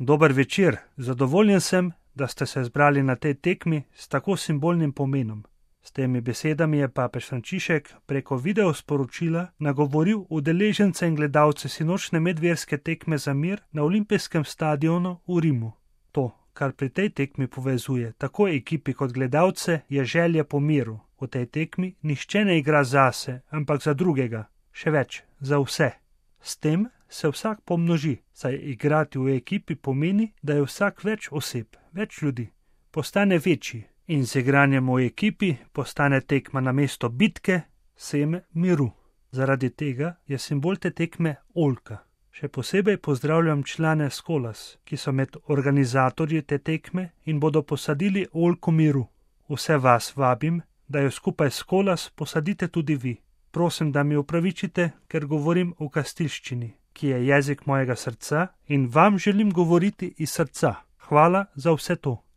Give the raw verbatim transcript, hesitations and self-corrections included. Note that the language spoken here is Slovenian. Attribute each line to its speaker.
Speaker 1: Dober večer, zadovoljen sem, da ste se zbrali na tej tekmi s tako simbolnim pomenom. S temi besedami je papež Frančišek preko videosporočila nagovoril udeležence in gledalce sinočne medverske tekme za mir na olimpijskem stadionu v Rimu. To, kar pri tej tekmi povezuje tako ekipi kot gledalce, je želja po miru. V tej tekmi nihče ne igra zase, ampak za drugega, še več, za vse. S tem se vsak pomnoži, saj igrati v ekipi pomeni, da je vsak več oseb, več ljudi, postane večji. In z igranjem v ekipi postane tekma namesto bitke seme miru. Zaradi tega je simbol te tekme oljka. Še posebej pozdravljam člane Skolas, ki so med organizatorji te tekme in bodo posadili oljko miru. Vse vas vabim, da jo skupaj s Skolas posadite tudi vi. Prosim, da mi opravičite, ker govorim v kastilščini, ki je jezik mojega srca in vam želim govoriti iz srca. Hvala za vse to.